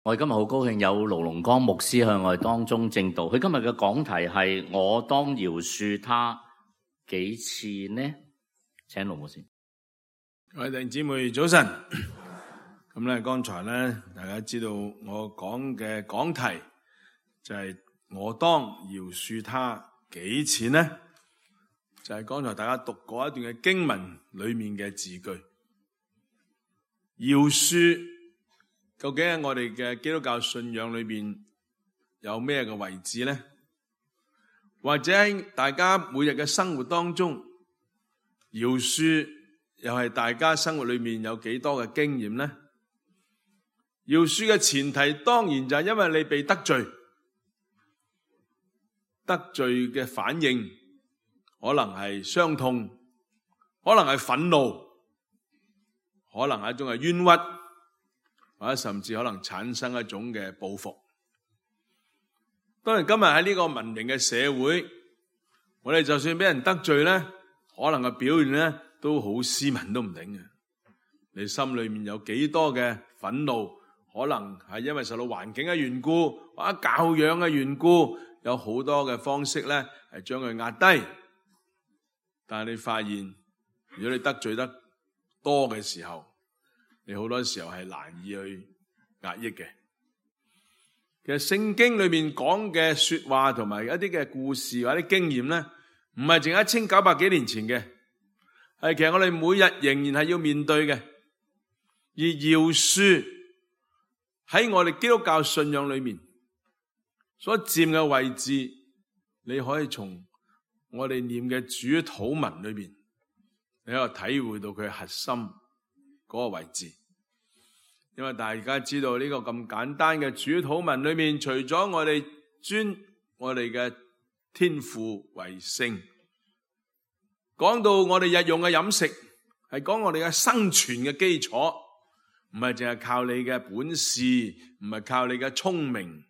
我哋今日好高興有盧龍光牧師向我哋當中證道。佢今日嘅講題係我當饒恕他幾次呢？請盧牧師。各位弟兄姊妹早晨。咁咧，剛才咧，大家知道我講嘅講題就係我當饒恕他幾次呢？就係剛才大家讀過一段嘅經文裏面嘅字句。饒恕究竟喺我哋嘅基督教信仰裏邊有咩嘅位置呢？或者喺大家每日嘅生活當中，饒恕又係大家生活裏面有幾多嘅經驗呢？饒恕嘅前提當然就係因為你被得罪，得罪嘅反應可能係傷痛，可能係憤怒，可能係一種係冤屈，或者甚至可能產生一種嘅報復。當然今日喺呢個文明嘅社會，我哋就算俾人得罪咧，可能嘅表現咧都好斯文都唔定嘅。你心裏面有幾多嘅憤怒，可能係因為受到環境嘅緣故，或者教養嘅緣故，有好多嘅方式咧係將佢壓低。但係你發現，如果你得罪得多嘅時候，你好多時候係難以去壓抑嘅。其實聖經裏面講嘅說話同埋一啲嘅故事或者經驗咧，唔係淨係1900幾年前嘅，係其實我哋每日仍然係要面對嘅。而饒恕喺我哋基督教信仰裏面所佔嘅位置，你可以從我哋念嘅主禱文裏面，你可以體會到佢核心嗰個位置。因為大家知道呢個咁簡單嘅主禱文裏面，除咗我哋尊我哋嘅天父為聖，講到我哋日用嘅飲食，係講我哋嘅生存嘅基礎，唔係淨係靠你嘅本事，唔係靠你嘅聰明，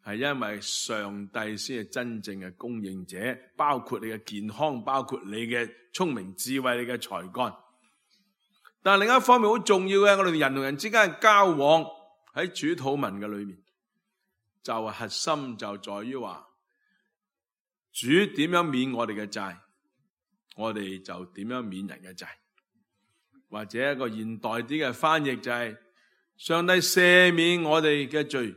係因為上帝先係真正嘅供應者，包括你嘅健康，包括你嘅聰明智慧，你嘅才幹。但係另一方面好重要嘅，我哋人同人之間嘅交往喺主禱文嘅裏面，就係核心就在於話，主點樣免我哋嘅債，我哋就點樣免人嘅債。或者一個現代啲嘅翻譯就係，上帝赦免我哋嘅罪，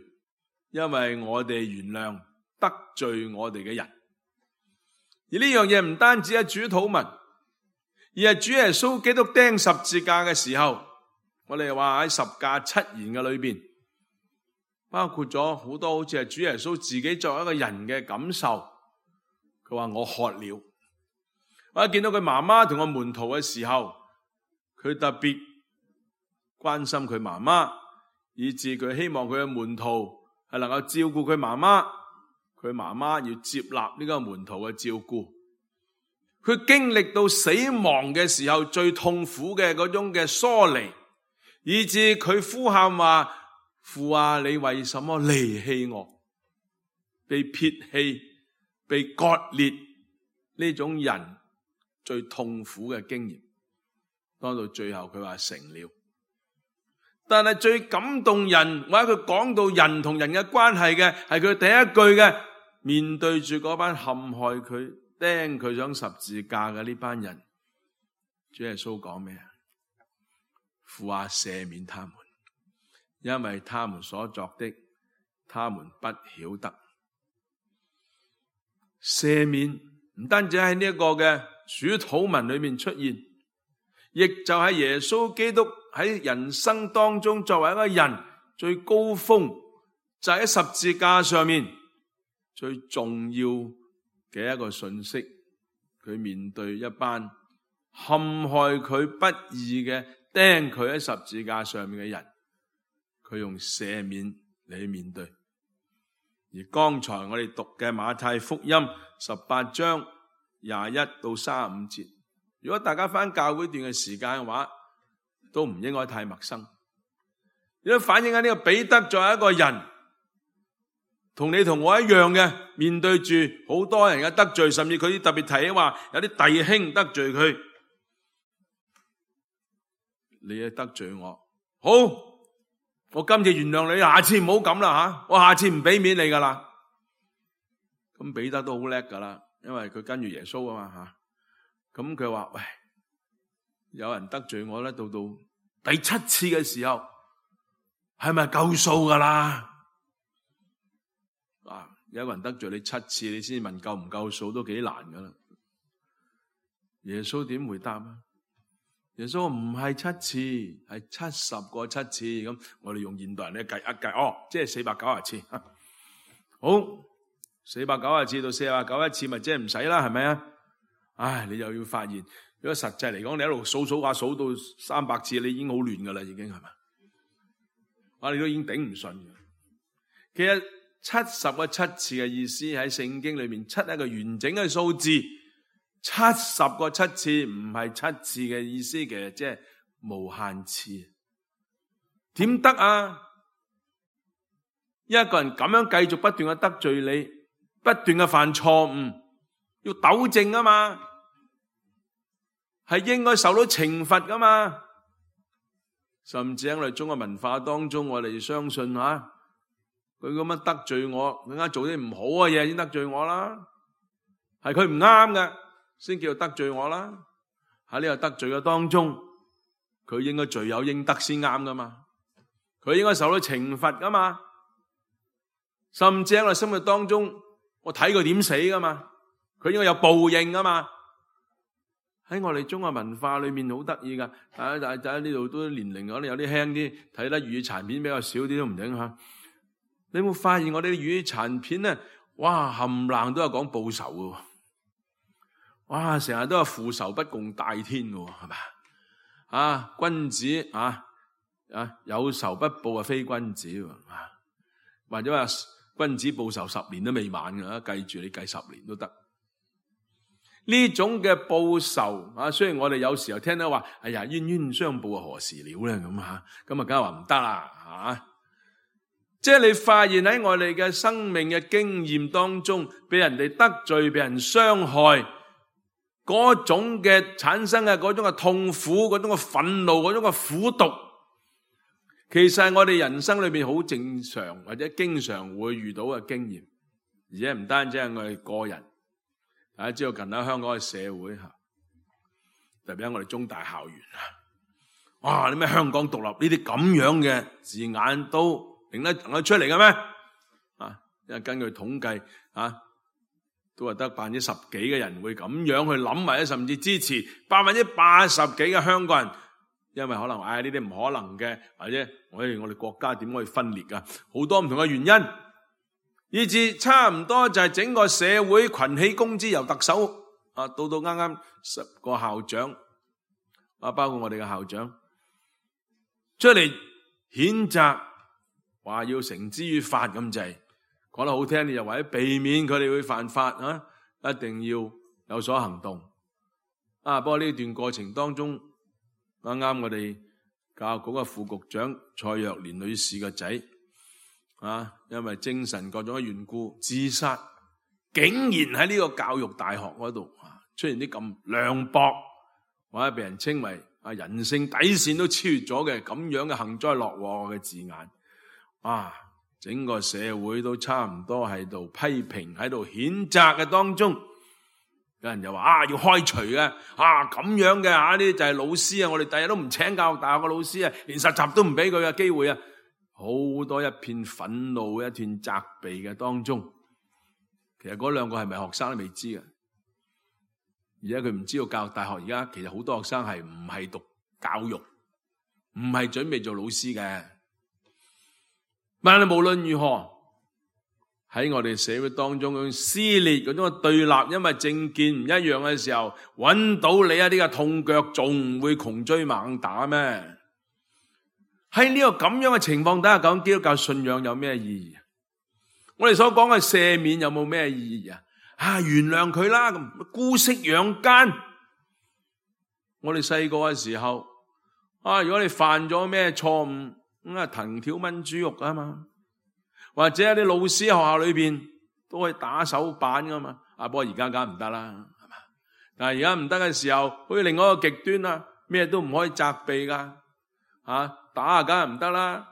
因為我哋原諒得罪我哋嘅人。而呢樣嘢唔單止係主禱文，而係主耶穌基督釘十字架嘅時候，我哋話喺十架七言嘅裏邊，包括咗好多好似係主耶穌自己作為一個人嘅感受。佢話我渴了，或者見到佢媽媽同個門徒嘅時候，佢特別關心佢媽媽，以致佢希望佢嘅門徒係能夠照顧佢媽媽，佢媽媽要接納呢個門徒嘅照顧。佢經歷到死亡嘅時候最痛苦嘅嗰種嘅疏離，以致佢呼喊話，父啊，你為什麼離棄我？被撇棄、被割裂，呢種人最痛苦嘅經驗。當到最後佢話成了。但係最感動人，或者佢講到人同人嘅關係嘅，係佢第一句嘅，面對住嗰班陷害佢、釘佢上十字架嘅呢班人，主耶穌講咩啊？父啊，赦免他們，因為他們所作的，他們不曉得。赦免唔單止喺呢一個嘅主禱文裏面出現，亦就係耶穌基督喺人生當中作為一個人最高峰，就喺十字架上面最重要嘅一個信息。佢面對一班陷害佢不義嘅釘佢喺十字架上面嘅人，佢用赦免嚟面對。而剛才我哋讀嘅馬太福音18章21到35節，如果大家返教會段嘅時間嘅話，都唔應該太陌生。亦都反映喺呢個彼得作為一個人，同你同我一樣嘅，面對住好多人嘅得罪，甚至佢特別提起話有啲弟兄得罪佢，你得罪我，好我今次原諒你，下次唔好咁啦吓，我下次唔俾面你噶啦。咁彼得都好叻噶啦，因為佢跟住耶穌啊嘛吓。咁佢話：喂，有人得罪我咧，到第7次嘅時候，係咪夠數噶啦？有個人得罪你7次，你先問夠唔夠數都幾難噶啦。耶穌點回答啊？耶穌話唔係7次，係70個7次。咁我哋用現代人咧計一計，即係490次。好，490次到491次，咪即係唔使啦，係咪啊？唉，你又要發現，如果實際嚟講，你一路數下數到300次，你已經好亂噶啦，已經係咪？你都已經頂唔順嘅。其實70個7次嘅意思喺聖經裏面，7係一個完整嘅數字，70個7次唔係7次嘅意思嘅，即係無限次。點得啊？一個人咁樣繼續不斷嘅得罪你，不斷嘅犯錯誤，要糾正啊嘛，係應該受到懲罰噶嘛。甚至喺我哋中國文化當中，我哋相信佢咁樣得罪我，更加做啲唔好嘅嘢先得罪我啦。係佢唔啱嘅，先叫做得罪我啦。喺呢個得罪嘅當中，佢應該罪有應得先啱噶嘛。佢應該受到懲罰噶嘛。甚至喺我哋生活當中，我睇佢點死噶嘛。佢應該有報應噶嘛。喺我哋中國文化裏面好得意噶。大家呢度都年齡可能有啲輕啲，睇得粵語殘片比較少啲都唔定吓。你有冇發現我哋啲粵語殘片咧？哇，冚唪唥都有講報仇嘅，哇，成日都係父仇不共戴天嘅，係咪？君子有仇不報啊，非君子。或者話君子報仇10年都未晚嘅，計住你計10年都得。呢種嘅報仇雖然我哋有時候聽到話，哎呀，冤冤相報何時了咧咁吓，咁啊梗係話唔得啦。即係你發現喺我哋嘅生命嘅經驗當中，俾人哋得罪，俾人傷害，嗰種嘅產生嘅嗰種嘅痛苦，嗰種嘅憤怒，嗰種嘅苦毒，其實係我哋人生裏邊好正常或者經常會遇到嘅經驗，而且唔單止係我哋個人，大家知道近喺香港嘅社會特別喺我哋中大校園哇！你咩香港獨立呢啲咁樣嘅字眼都認得出嚟嘅咩？因為根據統計都係得10%幾嘅人會咁樣去諗，或者甚至支持80%幾嘅香港人，因為可能呢啲唔可能嘅，或者我哋國家點可以分裂啊？好多唔同嘅原因，以至差唔多就係整個社會群起攻之，由特首到啱啱10個校長包括我哋嘅校長出嚟譴責。話要繩之於法咁滯，講得好聽啲就為咗避免佢哋會犯法一定要有所行動。不過呢段過程當中，啱啱我哋教育局嘅副局長蔡若蓮女士嘅仔因為精神各種嘅緣故自殺，竟然喺呢個教育大學嗰度出現啲咁涼薄，或者被人稱為人性底線都超越咗嘅咁樣嘅幸災樂禍嘅字眼。整個社會都差唔多喺度批評，喺度譴責嘅當中，有人就話要開除嘅，咁樣嘅呢啲就係老師我哋第日都唔請教育大學嘅老師連實習都唔俾佢嘅機會好多一片憤怒、一片責備嘅當中。其實嗰兩個係咪學生都未知嘅，而家佢唔知道教育大學而家其實好多學生係唔係讀教育，唔係準備做老師嘅。但係無論如何，喺我哋社會當中嗰種撕裂、嗰種對立，因為政見唔一樣嘅時候，揾到你一啲嘅痛腳，仲會窮追猛打咩？喺呢個咁樣嘅情況底下，講基督教信仰有咩意義？我哋所講嘅赦免有冇咩意義原諒佢啦，咁姑息養奸。我哋細個嘅時候，如果你犯咗咩錯誤，藤條炆豬肉啊嘛，或者啲老師學校裏邊都可以打手板噶嘛。不過而家梗唔得啦，係嘛？但係而家唔得嘅時候，好似另外一個極端咩都唔可以責備噶，打梗係唔得啦。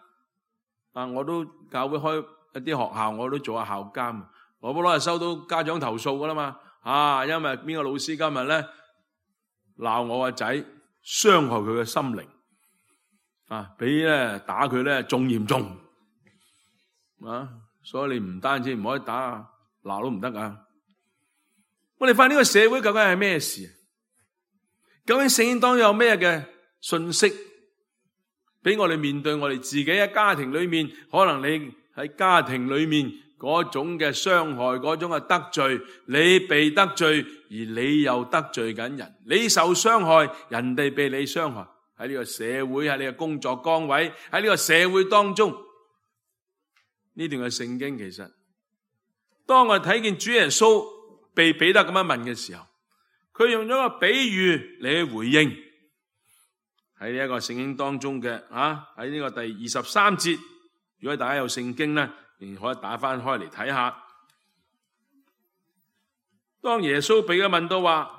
我都教會開一啲學校，我都做下校監，我不攞係收到家長投訴噶啦嘛。因為邊個老師今日咧鬧我個仔，傷害佢嘅心靈，比咧打佢咧仲嚴重，所以你唔單止唔可以打，鬧都唔得噶。我哋發現呢個社會究竟係咩事？究竟聖經當中有咩嘅信息俾我哋面對我哋自己喺家庭裏面？可能你喺家庭裏面嗰種嘅傷害，嗰種嘅得罪，你被得罪，而你又得罪緊人，你受傷害，人哋被你傷害。喺呢個社會，喺你嘅工作崗位，喺呢個社會當中，呢段嘅聖經其實，當我哋睇見主耶穌被彼得咁樣問嘅時候，佢用咗個比喻嚟去回應。喺呢一個聖經當中嘅喺呢個第23節，如果大家有聖經咧，你可以打翻開嚟睇下。當耶穌被佢問到話，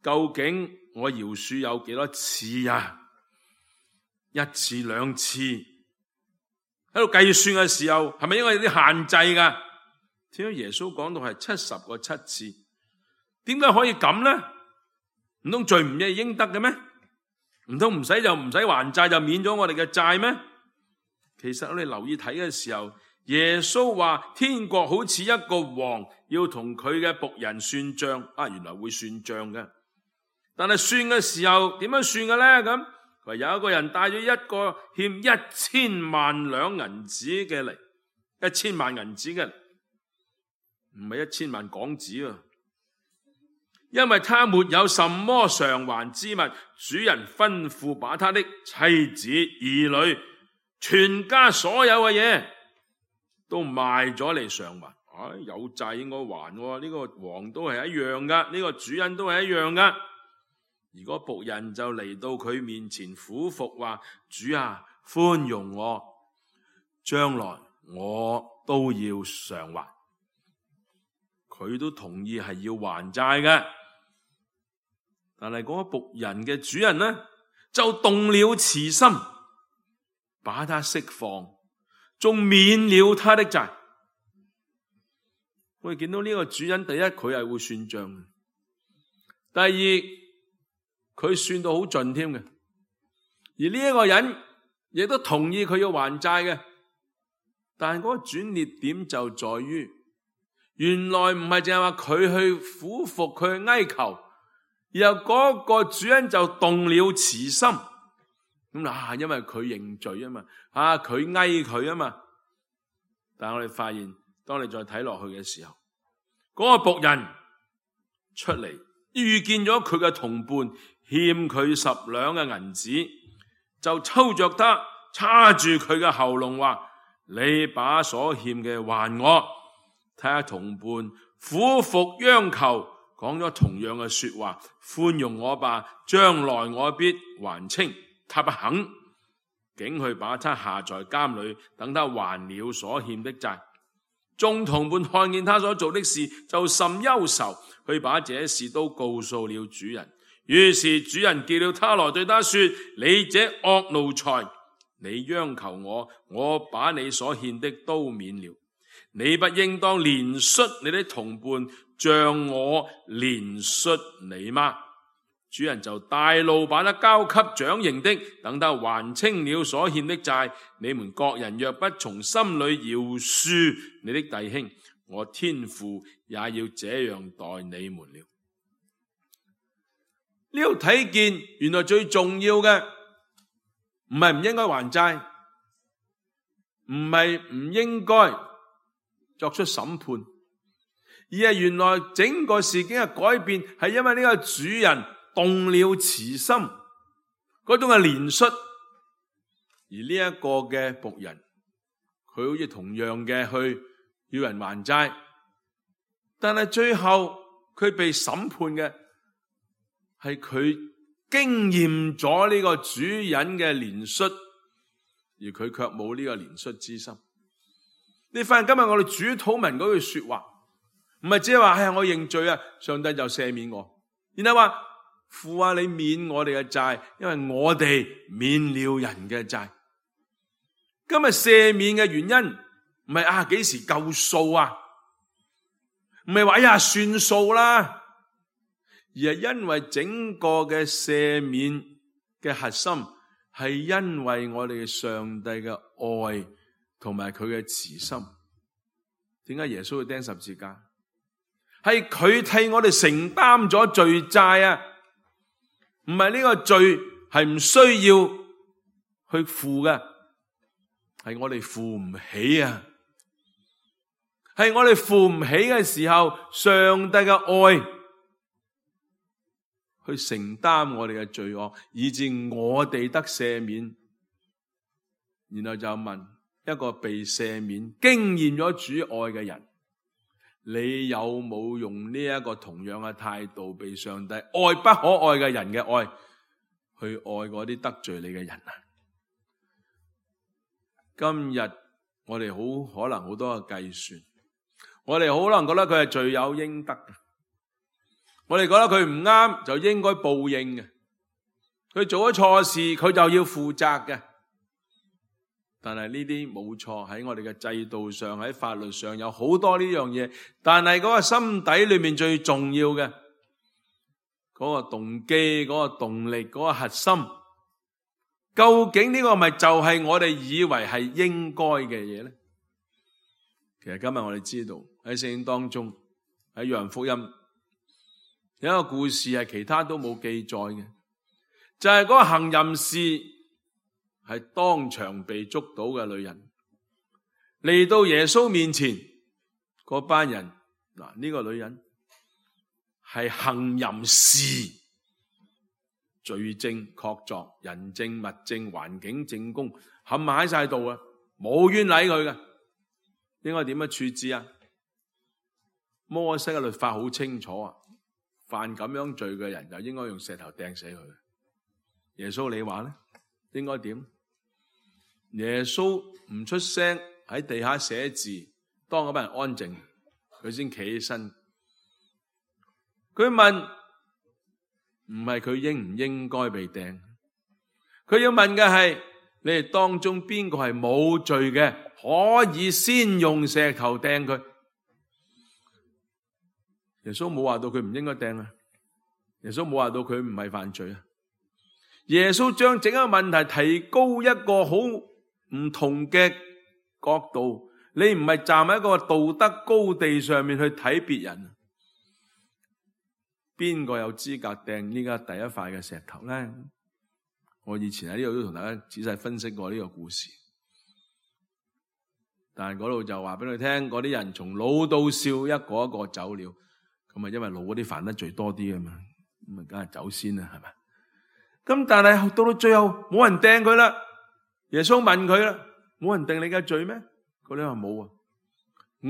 究竟我饒恕有幾多次啊？一次兩次，喺度計算嘅時候，係咪應該有啲限制噶？點解耶穌講到係70個7次？點解可以咁呢？唔通罪唔係應得嘅咩？唔通唔使還債就免咗我哋嘅債咩？其實我哋留意睇嘅時候，耶穌話天國好似一個王要同佢嘅僕人算賬，原來會算賬嘅。但係算嘅時候點樣算嘅咧？咁佢有一個人帶咗一個欠1000萬兩銀子嘅嚟，1000萬銀子嘅，唔係1000萬港紙啊！因為他沒有什麼償還之物，主人吩咐把他的妻子、兒女、全家所有嘅嘢都賣咗嚟償還。有債應該還喎，呢個王都係一樣噶，呢個主人都係一樣噶。如果僕人就嚟到佢面前俯伏話：主啊，寬容我，將來我都要償還。佢都同意係要還債嘅。但係嗰個僕人嘅主人呢，就動了慈心，把他釋放，仲免了他的債。我哋見到呢個主人，第一佢係會算賬，第二佢算到好盡添嘅，而呢一個人亦都同意佢要還債嘅。但係嗰個轉捩點就在於，原來唔係淨係話佢去俯伏，佢去哀求。然後嗰個主人就動了慈心，因為佢認罪啊嘛，佢哀佢啊嘛。但係我哋發現，當你再睇落去嘅時候，嗰個僕人出嚟遇見咗佢嘅同伴欠佢10兩嘅銀子，就抽着他叉住佢嘅喉嚨話：你把所欠嘅還我。睇下同伴俯伏央求，講咗同樣嘅說話：寬容我吧，將來我必還清。他不肯，竟去把他下在監裏，等他還了所欠的債。眾同伴看見他所做的事，就甚憂愁，去把這事都告訴了主人。於是主人叫了他來，對他說：你這惡奴才，你央求我，我把你所欠的都免了。你不應當憐恤你的同伴，像我憐恤你嗎？主人就大怒，把他交給掌刑的，等他還清了所欠的債。你們各人若不從心裏饒恕你的弟兄，我天父也要這樣待你們了。呢度睇見，原來最重要嘅唔係唔應該還債，唔係唔應該作出審判，而係原來整個事件嘅改變係因為呢個主人動了慈心，嗰種嘅憐恤，而呢一個嘅僕人，佢好似同樣嘅去要人還債，但係最後佢被審判嘅係佢經驗咗呢個主人嘅憐恤，而佢卻冇呢個憐恤之心。你發現今日我哋主禱文嗰句說話，唔係只係話我認罪啊，上帝就赦免我，然後話父啊，你免我哋嘅債，因為我哋免了人嘅債。今日赦免嘅原因唔係幾時夠數啊，唔係話算數啦，而係因為整個嘅赦免嘅核心係因為我哋嘅上帝嘅愛同埋佢嘅慈心。點解耶穌要釘十字架？係佢替我哋承擔咗罪債啊！唔係呢個罪係唔需要去付嘅，係我哋付唔起啊！係我哋付唔起嘅時候，上帝嘅愛去承擔我哋嘅罪惡，以致我哋得赦免。然後就問一個被赦免、經驗咗主愛嘅人，你有冇用呢一個同樣嘅態度，被上帝愛不可愛嘅人嘅愛，去愛嗰啲得罪你嘅人啊？今日我哋好可能好多嘅計算，我哋可能覺得佢係罪有應得嘅，我哋覺得佢唔啱就應該報應嘅，佢做咗錯事佢就要負責嘅。但係呢啲冇錯，喺我哋嘅制度上，喺法律上有好多呢樣嘢，但係嗰個心底裏面最重要嘅嗰個動機、嗰個動力、嗰個核心，究竟呢個咪就係我哋以為係應該嘅嘢咧？其實今日我哋知道喺聖經當中，喺約翰福音有一個故事係其他都冇記載嘅，就係嗰個行淫士係當場被捉到嘅女人嚟到耶穌面前，嗰班人嗱，呢個女人係行淫士，罪證確鑿，人證物證環境證供冚埋喺晒度啊，冇冤枉佢嘅，應該點樣處置啊？摩西嘅律法好清楚啊，犯咁樣罪嘅人就應該用石頭掟死佢。耶穌你話咧，應該點？耶穌唔出聲，喺地下寫字，當嗰班人安靜，佢先企起身。佢問，唔係佢應唔應該被掟，佢要問嘅係你哋當中邊個係冇罪嘅，可以先用石頭掟佢。耶穌冇話到佢唔應該掟啊，耶穌冇話到佢唔係犯罪啊。耶穌將整個問題提高一個好唔同嘅角度，你唔係站喺一個道德高地上面去睇別人，邊個有資格掟呢家第一塊嘅石頭咧？我以前喺呢度都同大家仔細分析過呢個故事，但係嗰度就話俾你聽，嗰啲人從老到少一個一個走了，咁啊因為老嗰啲犯得罪多啲啊嘛，咁啊梗係走先啦，係咪？咁但係到最後冇人掟佢啦。耶穌問佢啦，冇人定你嘅罪咩？嗰啲話冇啊，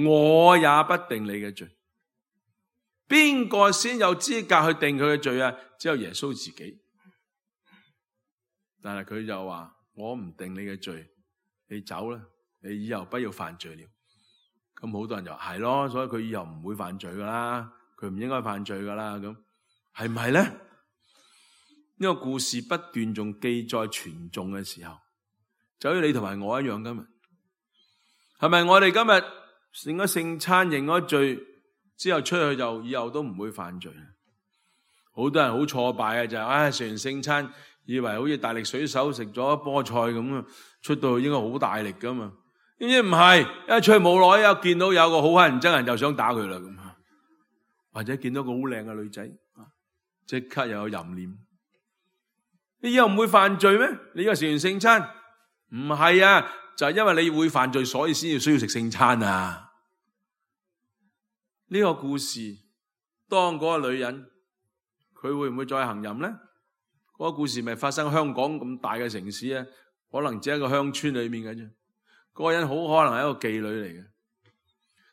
我也不定你嘅罪。邊個先有資格去定佢嘅罪啊？只有耶穌自己。但係佢就話，我唔定你嘅罪，你走啦，你以後不要犯罪了。咁好多人就話係咯，所以佢以後唔會犯罪噶啦，佢唔應該犯罪噶啦。咁係唔係咧？呢個故事不斷仲記載傳頌嘅時候，就好似你同埋我一樣，今日係咪我哋今日成咗聖餐認咗罪之後出去就以後都唔會犯罪？好多人好挫敗嘅就係，食完聖餐以為好似大力水手食咗菠菜咁啊，出到去應該好大力噶嘛，點知唔係，一出去冇耐又見到有個好乞人憎人就想打佢啦咁，或者見到個好靚嘅女仔，即刻又有淫念。你以後唔會犯罪咩？你以為食完聖餐？唔係啊，就係因為你會犯罪，所以先要需要食聖餐啊。呢個故事，當嗰個女人，佢會唔會再行淫咧？嗰個故事咪發生香港咁大嘅城市啊？可能只係一個鄉村裏面嘅啫。嗰個人好可能係一個妓女嚟嘅。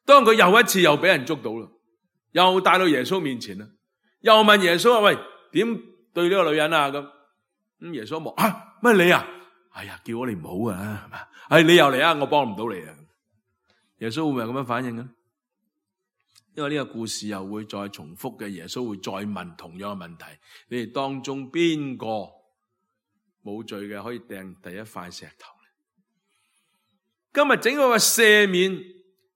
當佢又一次又俾人捉到啦，又帶到耶穌面前啦，又問耶穌話：喂，點對呢個女人啊？咁耶穌望乜你啊？哎呀，叫我你唔好噶啦，係嘛？你又嚟啊，我幫唔到你啊。耶穌會唔會咁樣反應嘅？因為呢個故事又會再重複嘅，耶穌會再問同樣嘅問題：你哋當中邊個冇罪嘅可以掟第一塊石頭？今日整個嘅赦免，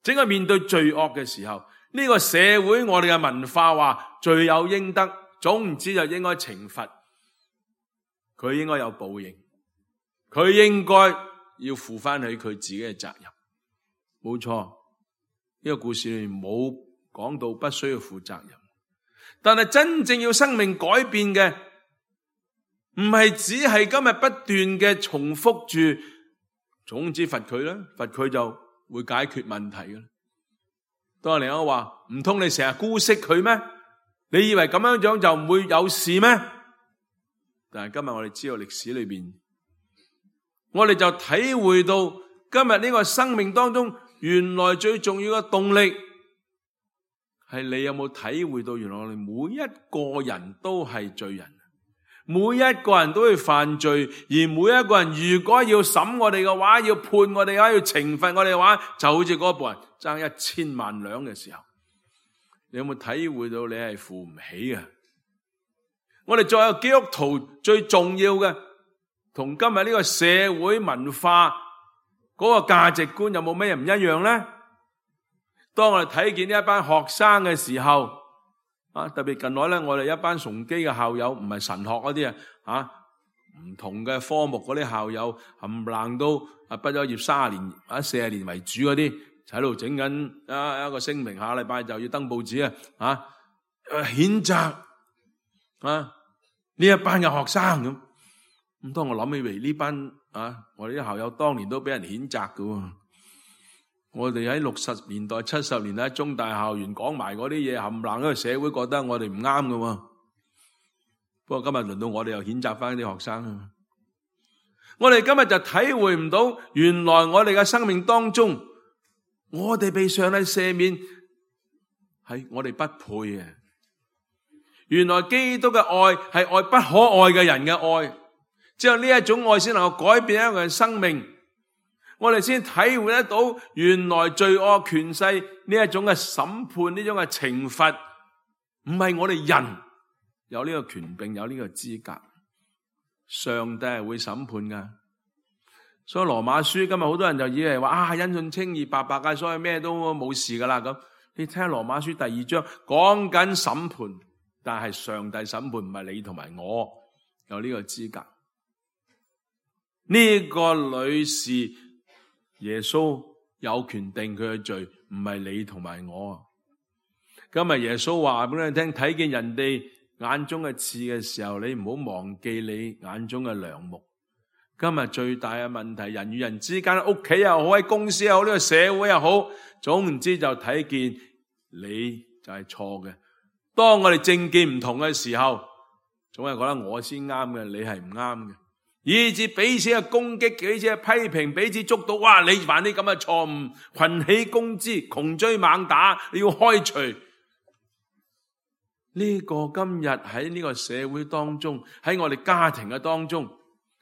整個面對罪惡嘅時候，呢個社會我哋嘅文化話罪有應得，總唔知就應該懲罰，佢應該有報應，佢應該要負翻起佢自己嘅責任。冇錯，呢個故事裏面冇講到不需要負責任，但係真正要生命改變嘅，唔係只係今日不斷嘅重複住，總之罰佢啦，罰佢就會解決問題嘅。當另一個話，唔通你成日姑息佢咩？你以為咁樣樣就唔會有事咩？但係今日我哋知道歷史裏邊，我哋就體會到今日呢個生命當中，原來最重要嘅動力係你有冇體會到，原來我哋每一個人都係罪人，每一個人都會犯罪，而每一個人如果要審我哋嘅話，要判我哋嘅話，要懲罰我哋嘅話，就好似嗰部人爭1000萬兩嘅時候，你有冇體會到你係付唔起嘅？我哋作為基督徒最重要嘅，同今日呢個社會文化嗰個價值觀有冇咩唔一樣呢？當我哋睇見呢一班學生嘅時候，特別近來咧，我哋一班崇基嘅校友，唔係神學嗰啲唔同嘅科目嗰啲校友，冚唪唥都畢咗業30年或者40年為主嗰啲，就喺度整緊一個聲明，下禮拜就要登報紙譴責呢一班嘅學生咁。咁當我諗起嚟呢班我哋啲校友當年都俾人譴責㗎。我哋喺60年代、70年代喺中大校園講埋嗰啲嘢，冚唪唥，因為社會覺得我哋唔啱㗎。不過今日輪到我哋又譴責翻啲學生。我哋今日就體會唔到，原來我哋嘅生命當中，我哋被上帝赦免係我哋不配嘅。原來基督嘅愛係愛不可愛嘅人嘅愛，只有呢一種愛先能夠改變一個人生命。我哋先體會得到，原來罪惡權勢呢一種嘅審判，呢種嘅懲罰，唔係我哋人有呢個權柄，有呢個資格。上帝係會審判噶。所以羅馬書今日好多人就以為話因信稱義白白嘅，所以咩都冇事噶啦咁。你聽羅馬書第2章講緊審判，但係上帝審判，唔係你同埋我有呢個資格。呢個女士耶穌有權定佢嘅罪，唔係你同埋我。今日耶穌話俾你聽，睇見人哋眼中嘅刺嘅時候，你唔好忘記你眼中嘅梁木。今日最大嘅問題，人與人之間，屋企又好，喺公司又好，呢個社會又好，總唔知就睇見你就係錯嘅。當我哋政見唔同嘅時候，總係覺得我先啱嘅，你係唔啱嘅，以致彼此嘅攻擊，彼此嘅批評，彼此捉到，哇！你犯啲咁嘅錯誤，群起攻之，窮追猛打，你要開除。呢個今日喺呢個社會當中，喺我哋家庭嘅當中，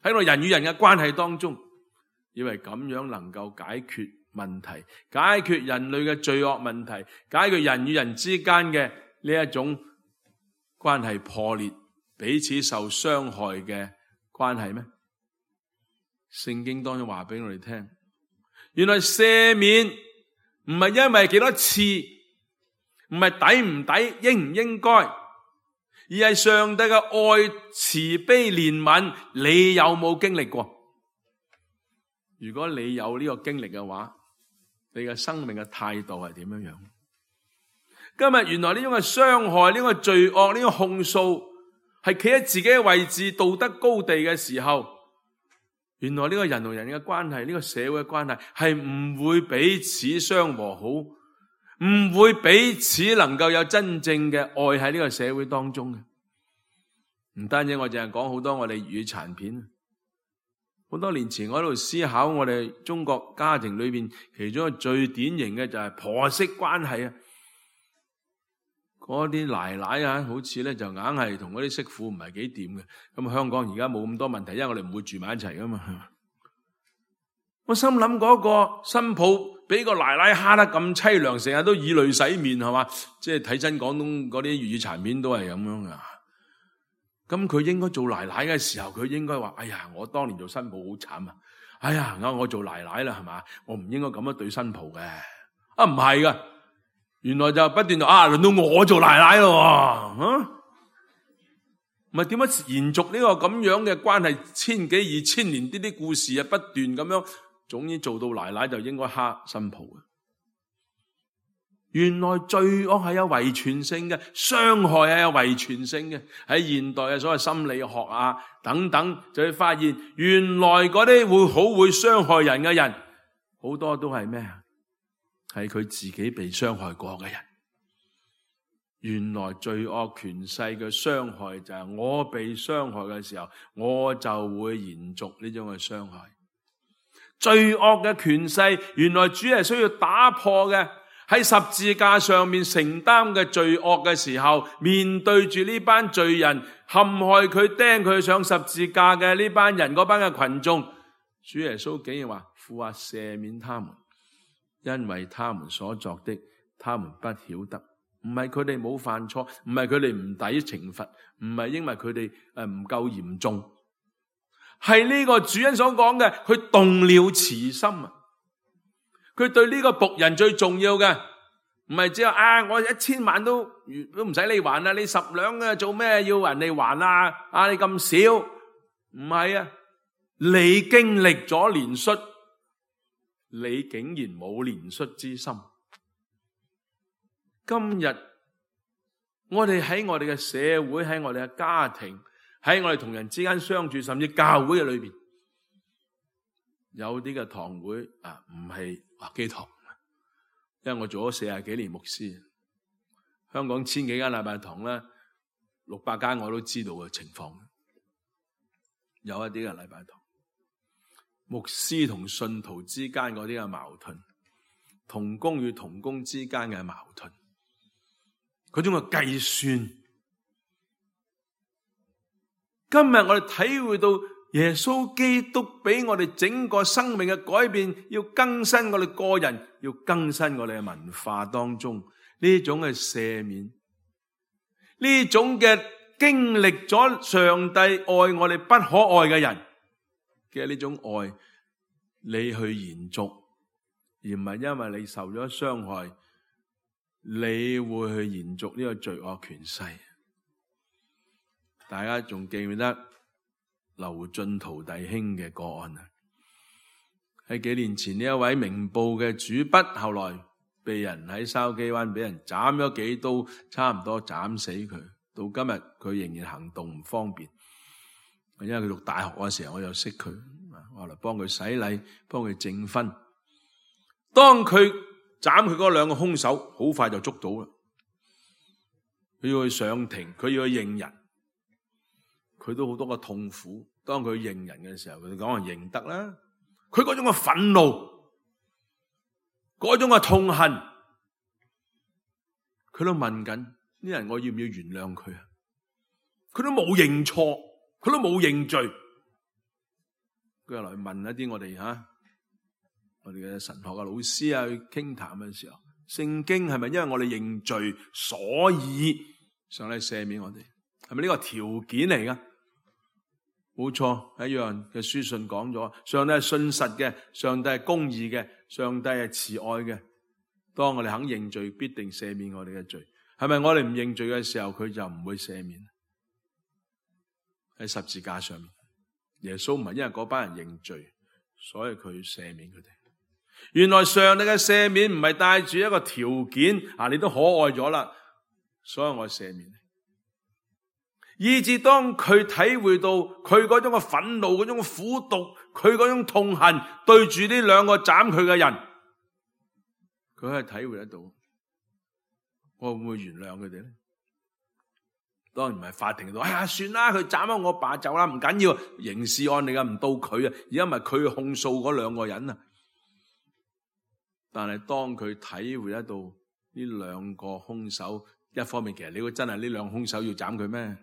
喺我哋人與人嘅關係當中，以為咁樣能夠解決問題，解決人類嘅罪惡問題，解決人與人之間嘅呢一種關係破裂，彼此受傷害嘅關係咩？聖經當中話俾我哋聽，原來赦免唔係因為幾多次，唔係抵唔抵，應唔應該，而係上帝嘅愛、慈悲、憐憫，你有冇經歷過？如果你有呢個經歷嘅話，你嘅生命嘅態度係點樣樣？今日原來呢種嘅傷害、呢個罪惡、呢個控訴，係企喺自己嘅位置、道德高地嘅時候，原來呢個人同人嘅關係、呢個社會嘅關係，係唔會彼此相和好，唔會彼此能夠有真正嘅愛喺呢個社會當中嘅。唔單止我淨係講好多我哋粵語殘片，好多年前我喺度思考我哋中國家庭裏邊其中一個最典型嘅就係婆媳關係啊。嗰啲奶奶好似咧就硬係同嗰啲媳婦唔係幾掂嘅。咁香港而家冇咁多問題，因為我哋唔會住埋一齊噶嘛。我心諗嗰個新抱俾個奶奶蝦得咁淒涼，成日都以淚洗面，係嘛？即係睇真廣東嗰啲粵語殘片都係咁樣噶。咁佢應該做奶奶嘅時候，佢應該話：哎呀，我當年做新抱好慘啊！哎呀，我做奶奶啦，係嘛？我唔應該咁樣對新抱嘅。啊，唔係噶，原來就不斷就輪到我做奶奶咯。唔係點樣延續呢個咁樣嘅關係？千幾2000年啲故事啊，不斷咁樣，總之做到奶奶就應該蝦新抱嘅。原來罪惡係有遺傳性嘅，傷害係有遺傳性嘅。喺現代嘅所謂心理學啊等等，就會發現原來嗰啲會傷害人嘅人，好多都係咩啊？係佢自己被傷害過嘅人。原來罪惡權勢嘅傷害就係我被傷害嘅時候，我就會延續呢種嘅傷害。罪惡嘅權勢，原來主係需要打破嘅。喺十字架上面承擔嘅罪惡嘅時候，面對住呢班罪人陷害佢釘佢上十字架嘅呢班人，嗰班嘅群眾，主耶穌竟然話：父啊，赦免他們，因為他們所作的，他們不曉得。唔係佢哋冇犯錯，唔係佢哋唔抵懲罰，唔係因為佢哋唔夠嚴重，係呢個主人所講嘅，佢動了慈心啊！佢對呢個僕人最重要嘅，唔係只有我1000萬都唔使你還啦，你10兩啊做咩要人哋還啊？你咁少，唔係啊！你經歷咗憐恤，你竟然冇憐恤之心。今日我哋喺我哋嘅社會，喺我哋嘅家庭，喺我哋同人之間相處，甚至教會嘅裏邊，有啲嘅堂會唔係基堂，因為我做咗40幾年牧師，香港1000幾間禮拜堂咧，600間我都知道嘅情況。有一啲嘅禮拜堂，牧師同信徒之間嗰啲嘅矛盾，同工與同工之間嘅矛盾，嗰種嘅計算。今日我哋體會到耶穌基督俾我哋整個生命嘅改變，要更新我哋個人，要更新我哋嘅文化當中呢種嘅赦免，呢種嘅經歷咗上帝愛我哋不可愛嘅人嘅呢種愛，你去延續，而唔係因為你受咗傷害，你會去延續呢個罪惡權勢。大家仲記唔記得劉進圖弟兄嘅個案啊？喺幾年前呢一位明報嘅主筆，後來被人喺筲箕灣俾人斬咗幾刀，差唔多斬死佢。到今日佢仍然行動唔方便，因為佢讀大學嘅時候我就識佢，我嚟幫佢洗禮，幫佢證婚。當佢斬佢嗰2個兇手，好快就捉到啦。佢要去上庭，佢要去認人。佢都好多個痛苦，當佢認人嘅時候，佢講話認得啦。佢嗰種嘅憤怒，嗰種嘅痛恨，佢都問緊呢人，我要唔要原諒佢啊？佢都冇認錯，佢都冇認罪。佢又嚟問一啲我哋嘅神學嘅老師啊，去傾談嘅時候，聖經係咪因為我哋認罪，所以上帝赦免我哋？係咪呢個條件嚟噶？冇錯，一樣嘅書信講咗，上帝係信實嘅，上帝係公義嘅，上帝係慈愛嘅。當我哋肯認罪，必定赦免我哋嘅罪。係咪我哋唔認罪嘅時候，佢就唔會赦免？喺十字架上面，耶穌唔係因為嗰班人認罪，所以佢赦免佢哋。原來上帝嘅赦免唔係帶住一個條件，你都可愛咗啦，所以我赦免你。以至當佢體會到佢嗰種嘅憤怒、嗰種苦毒、佢嗰種痛恨，對住呢2個斬佢嘅人，佢係體會得到，我會唔會原諒佢哋咧？當然唔係法庭度，算啦，佢斬咗我爸就啦，唔緊要，刑事案嚟噶，唔到佢啊，而家咪佢控訴嗰2個人啊。但係當佢體會得到呢2個兇手，一方面其實你估真係呢2個兇手要斬佢咩？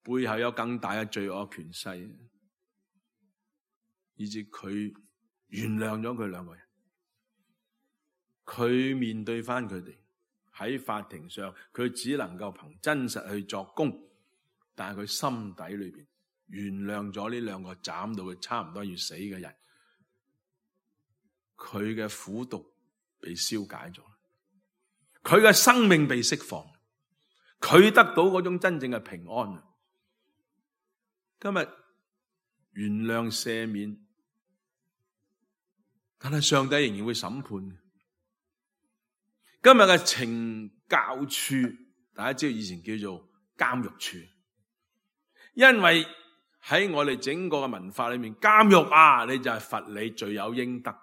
背後有更大嘅罪惡權勢，以致佢原諒咗佢2個人。佢面對翻佢哋喺法庭上，佢只能夠憑真實去作供，但係佢心底裏邊原諒咗呢2個斬到佢差唔多要死嘅人，佢嘅苦毒被消解咗，佢嘅生命被釋放，佢得到嗰種真正嘅平安。今日原諒赦免，但係上帝仍然會審判。今日嘅懲教處，大家知道以前叫做監獄處，因為喺我哋整個嘅文化裏面，監獄啊，你就係罰你罪有應得，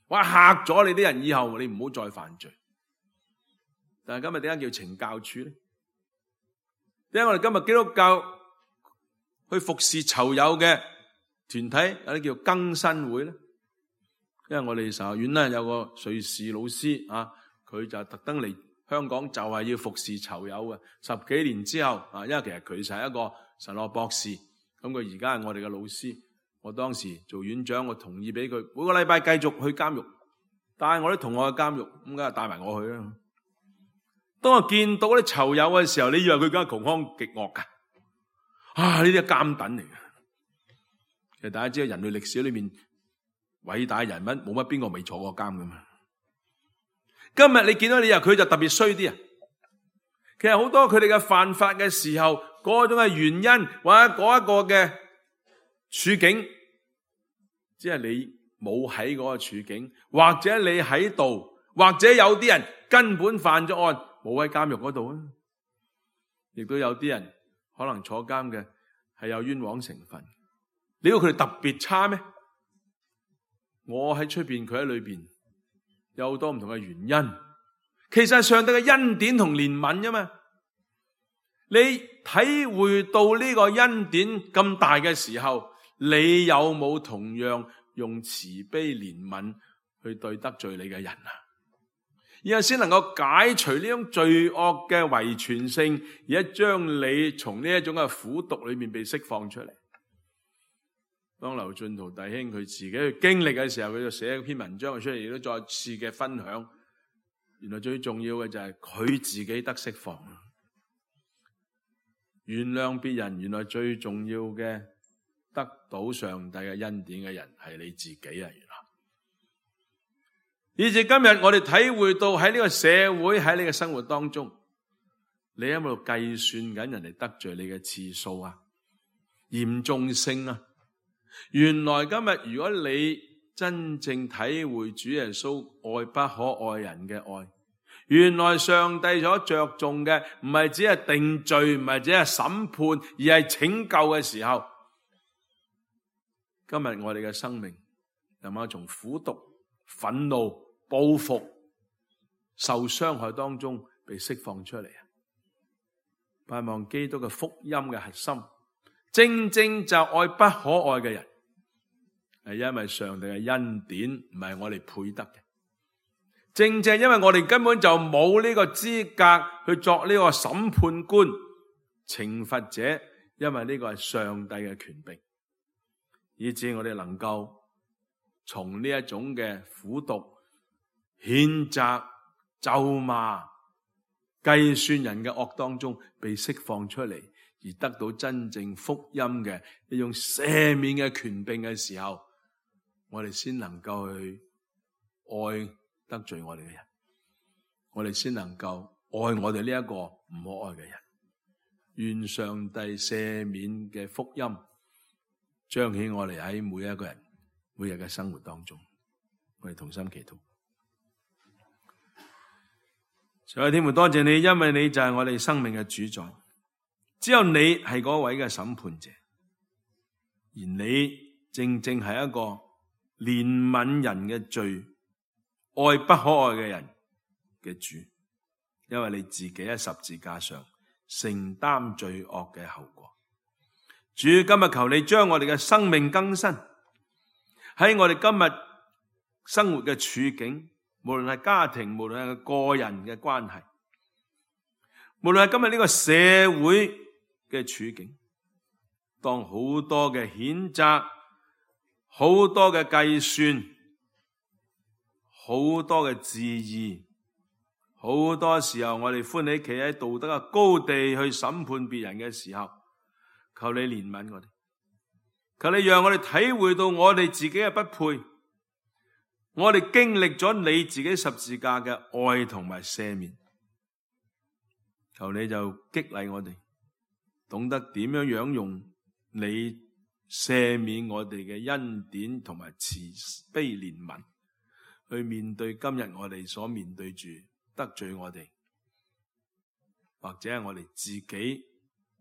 話嚇咗你啲人，以後你唔好再犯罪。但係今日點解叫懲教處咧？點解我哋今日基督教去服侍囚友嘅團體有啲叫更新會咧？因為我哋神學院咧有個瑞士老師啊，佢就特登嚟香港就係要服侍囚友嘅。10幾年之後啊，因為其實佢就係一個神學博士，咁佢而家係我哋嘅老師。我當時做院長，我同意俾佢每個禮拜繼續去監獄，帶我啲同學去監獄，咁梗係帶埋我去啦。當我見到啲囚友嘅時候，你以為佢梗係窮兇極惡噶？啊！呢啲係監躉嚟嘅。其實大家知道人類歷史裏面偉大人物冇乜邊個未坐過監噶嘛？今日你見到你話佢就特別衰啲啊！其實好多佢哋嘅犯法嘅時候，嗰種嘅原因或者嗰一個嘅處境，只係你冇喺嗰個處境，或者你喺度，或者有啲人根本犯咗案，冇喺監獄嗰度啊！亦都有啲人。可能坐監嘅係有冤枉成分，你估佢哋特別差咩？我喺出邊，佢喺裏邊，有好多唔同嘅原因。其實係上帝嘅恩典同憐憫啫嘛。你體會到呢個恩典咁大嘅時候，你有冇同樣用慈悲憐憫去對得罪你嘅人啊？然後先能夠解除呢種罪惡嘅遺傳性，而將你從呢一種嘅苦毒裏面被釋放出嚟。當劉進圖弟兄佢自己去經歷嘅時候，佢就寫一篇文章出嚟，亦都再次嘅分享。原來最重要嘅就係佢自己得釋放，原諒別人。原來最重要嘅得到上帝嘅恩典嘅人係你自己啊！以至今日我哋體會到喺呢個社會，喺呢個生活當中，你喺度計算緊人哋得罪你嘅次數啊、嚴重性啊。原來今日如果你真正體會主耶穌愛不可愛人嘅愛，原來上帝所着重嘅唔係只係定罪，唔係只係審判，而係拯救嘅時候，今日我哋嘅生命能夠從苦毒、憤怒、報復、受傷害當中被釋放出嚟啊！盼望基督嘅福音嘅核心，正正就愛不可愛嘅人，係因為上帝嘅恩典，唔係我哋配得嘅。正正因為我哋根本就冇呢個資格去作呢個審判官、懲罰者，因為呢個係上帝嘅權柄，以致我哋能夠從呢一種嘅苦毒、譴責、咒罵、計算人嘅惡當中被釋放出嚟，而得到真正福音嘅呢種赦免嘅權柄嘅時候，我哋先能夠去愛得罪我哋嘅人，我哋先能夠愛我哋呢一個唔可愛嘅人。願上帝赦免嘅福音彰顯我哋喺每一個人每日嘅生活當中。我哋同心祈禱。上帝天父，多謝你，因為你就係我哋生命嘅主宰，只有你係嗰位嘅審判者，而你正正係一個憐憫人嘅罪、愛不可愛嘅人嘅主，因為你自己喺十字架上承擔罪惡嘅後果。主，今日求你將我哋嘅生命更新，喺我哋今日生活嘅處境，無論係家庭，無論係個人嘅關係，無論係今日呢個社會嘅處境，當好多嘅譴責、好多嘅計算、好多嘅質疑，好多時候我哋歡喜企喺道德嘅高地去審判別人嘅時候，求你憐憫我哋，求你讓我哋體會到我哋自己嘅不配，我哋經歷咗你自己十字架嘅愛同埋赦免，求你就激勵我哋，懂得點樣用你赦免我哋嘅恩典同埋慈悲憐憫，去面對今日我哋所面對住得罪我哋，或者係我哋自己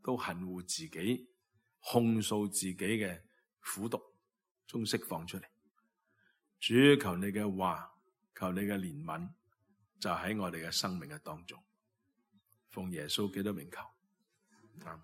都恨惡自己、控訴自己嘅苦毒中釋放出嚟。主，求你嘅話，求你嘅憐憫，就喺我哋嘅生命嘅當中。奉耶穌基督名求。阿們。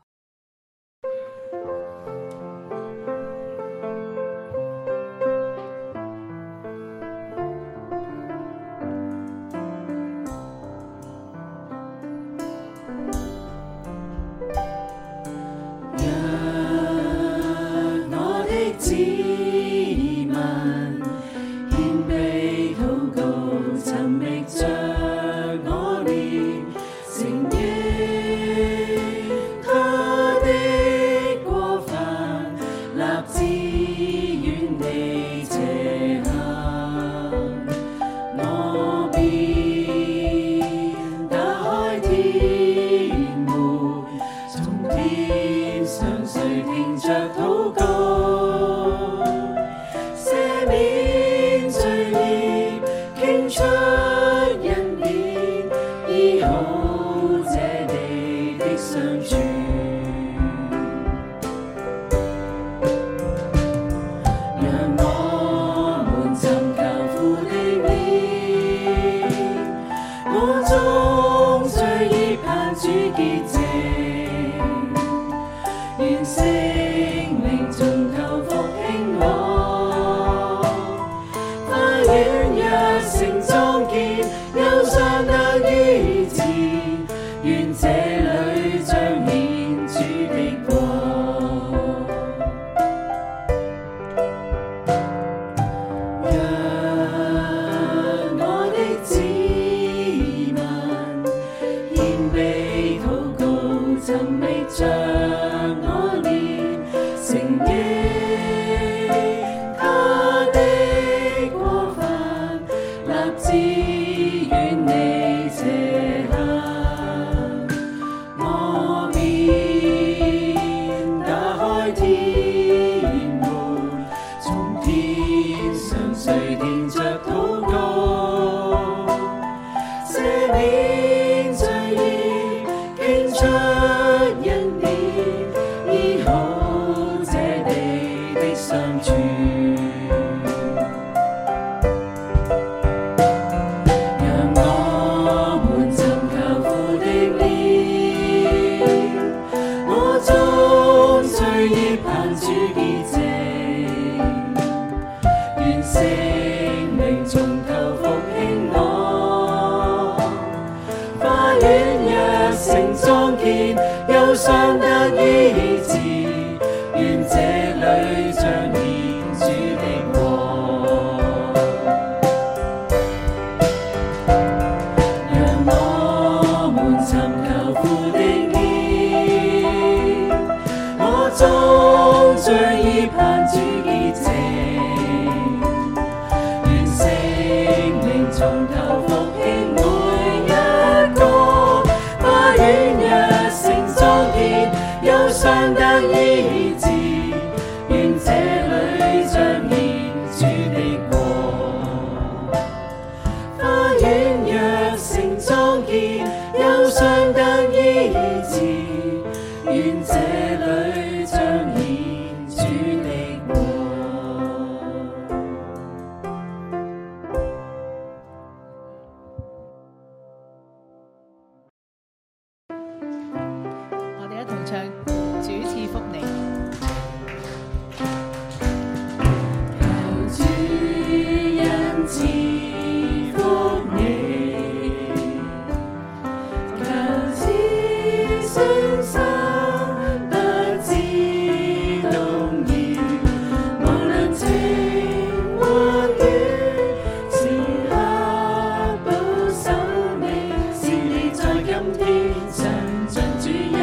今天上進主恩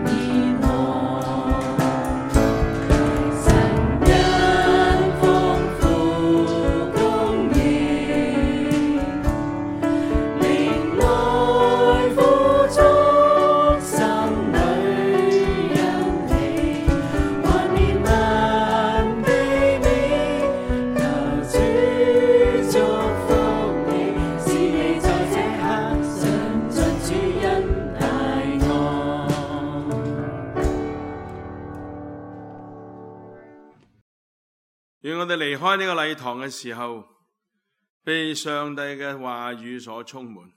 義我。開呢個禮堂嘅時候，被上帝嘅話語所充滿，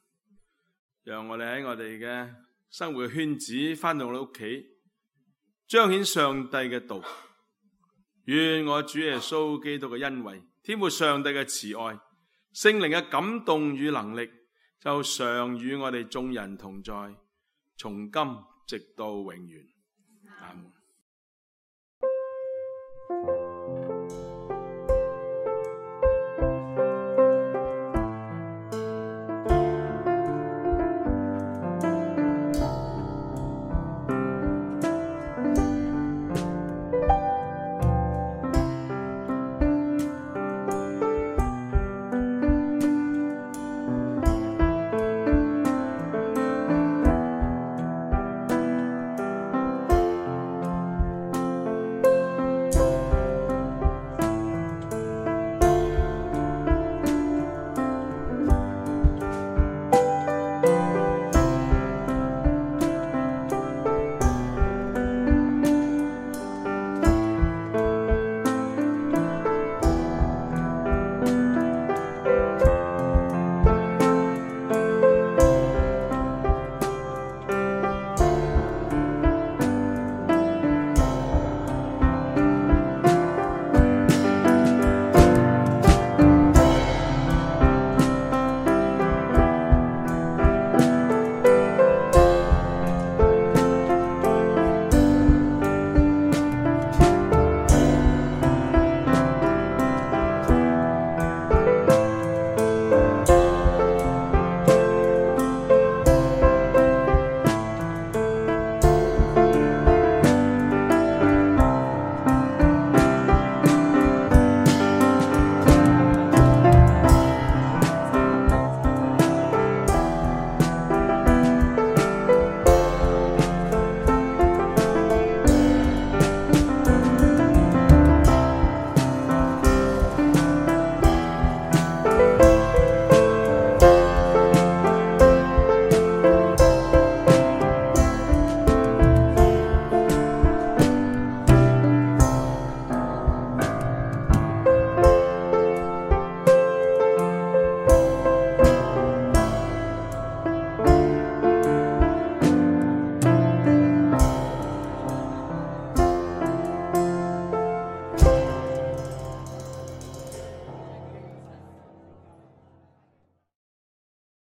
讓我哋喺我哋嘅生活圈子返到我哋屋企，彰顯上帝嘅道。願我主耶穌基督嘅恩惠、天父上帝嘅慈愛、聖靈嘅感動與能力，就常與我哋眾人同在，從今直到永遠。阿門。